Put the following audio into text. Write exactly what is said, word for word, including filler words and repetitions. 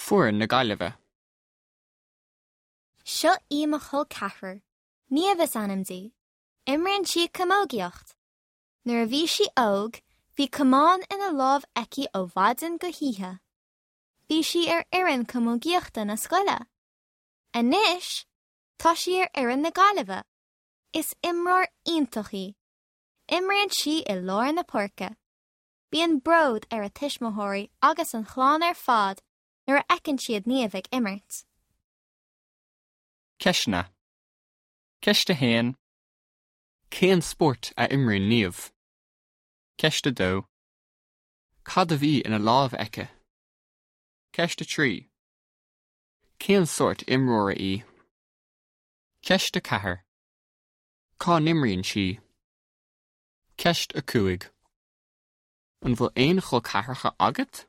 Foireann na Gaillimhe. Seo í mo chol ceathrar, Niamh is ainm di. Imríonn sí camógaíocht. Nuair a bhí sí óg, bhí camán ina lámh aici ó mhaidin go hoíche. Bhí sí ar fhoireann camógaíochta na scoile. Anois, tá sí ar fhoireann na Gaillimhe. Is imreoir iontach í. Imríonn sí i lár na páirce. Bíonn bród ar a tuismitheoirí agus an chlann ar fad nuair a fheiceann siad Niamh ag imirt. Ceisteanna. Ceist a haon. Cén spórt a imríonn Niamh? Ceist a dó. Cad a bhí ina lámh aici? Ceist a trí. Cén sórt imreora í? Ceist a ceathair. Cá n-imríonn sí? Ceist a cúig. An bhfuil aon chol ceathracha agat?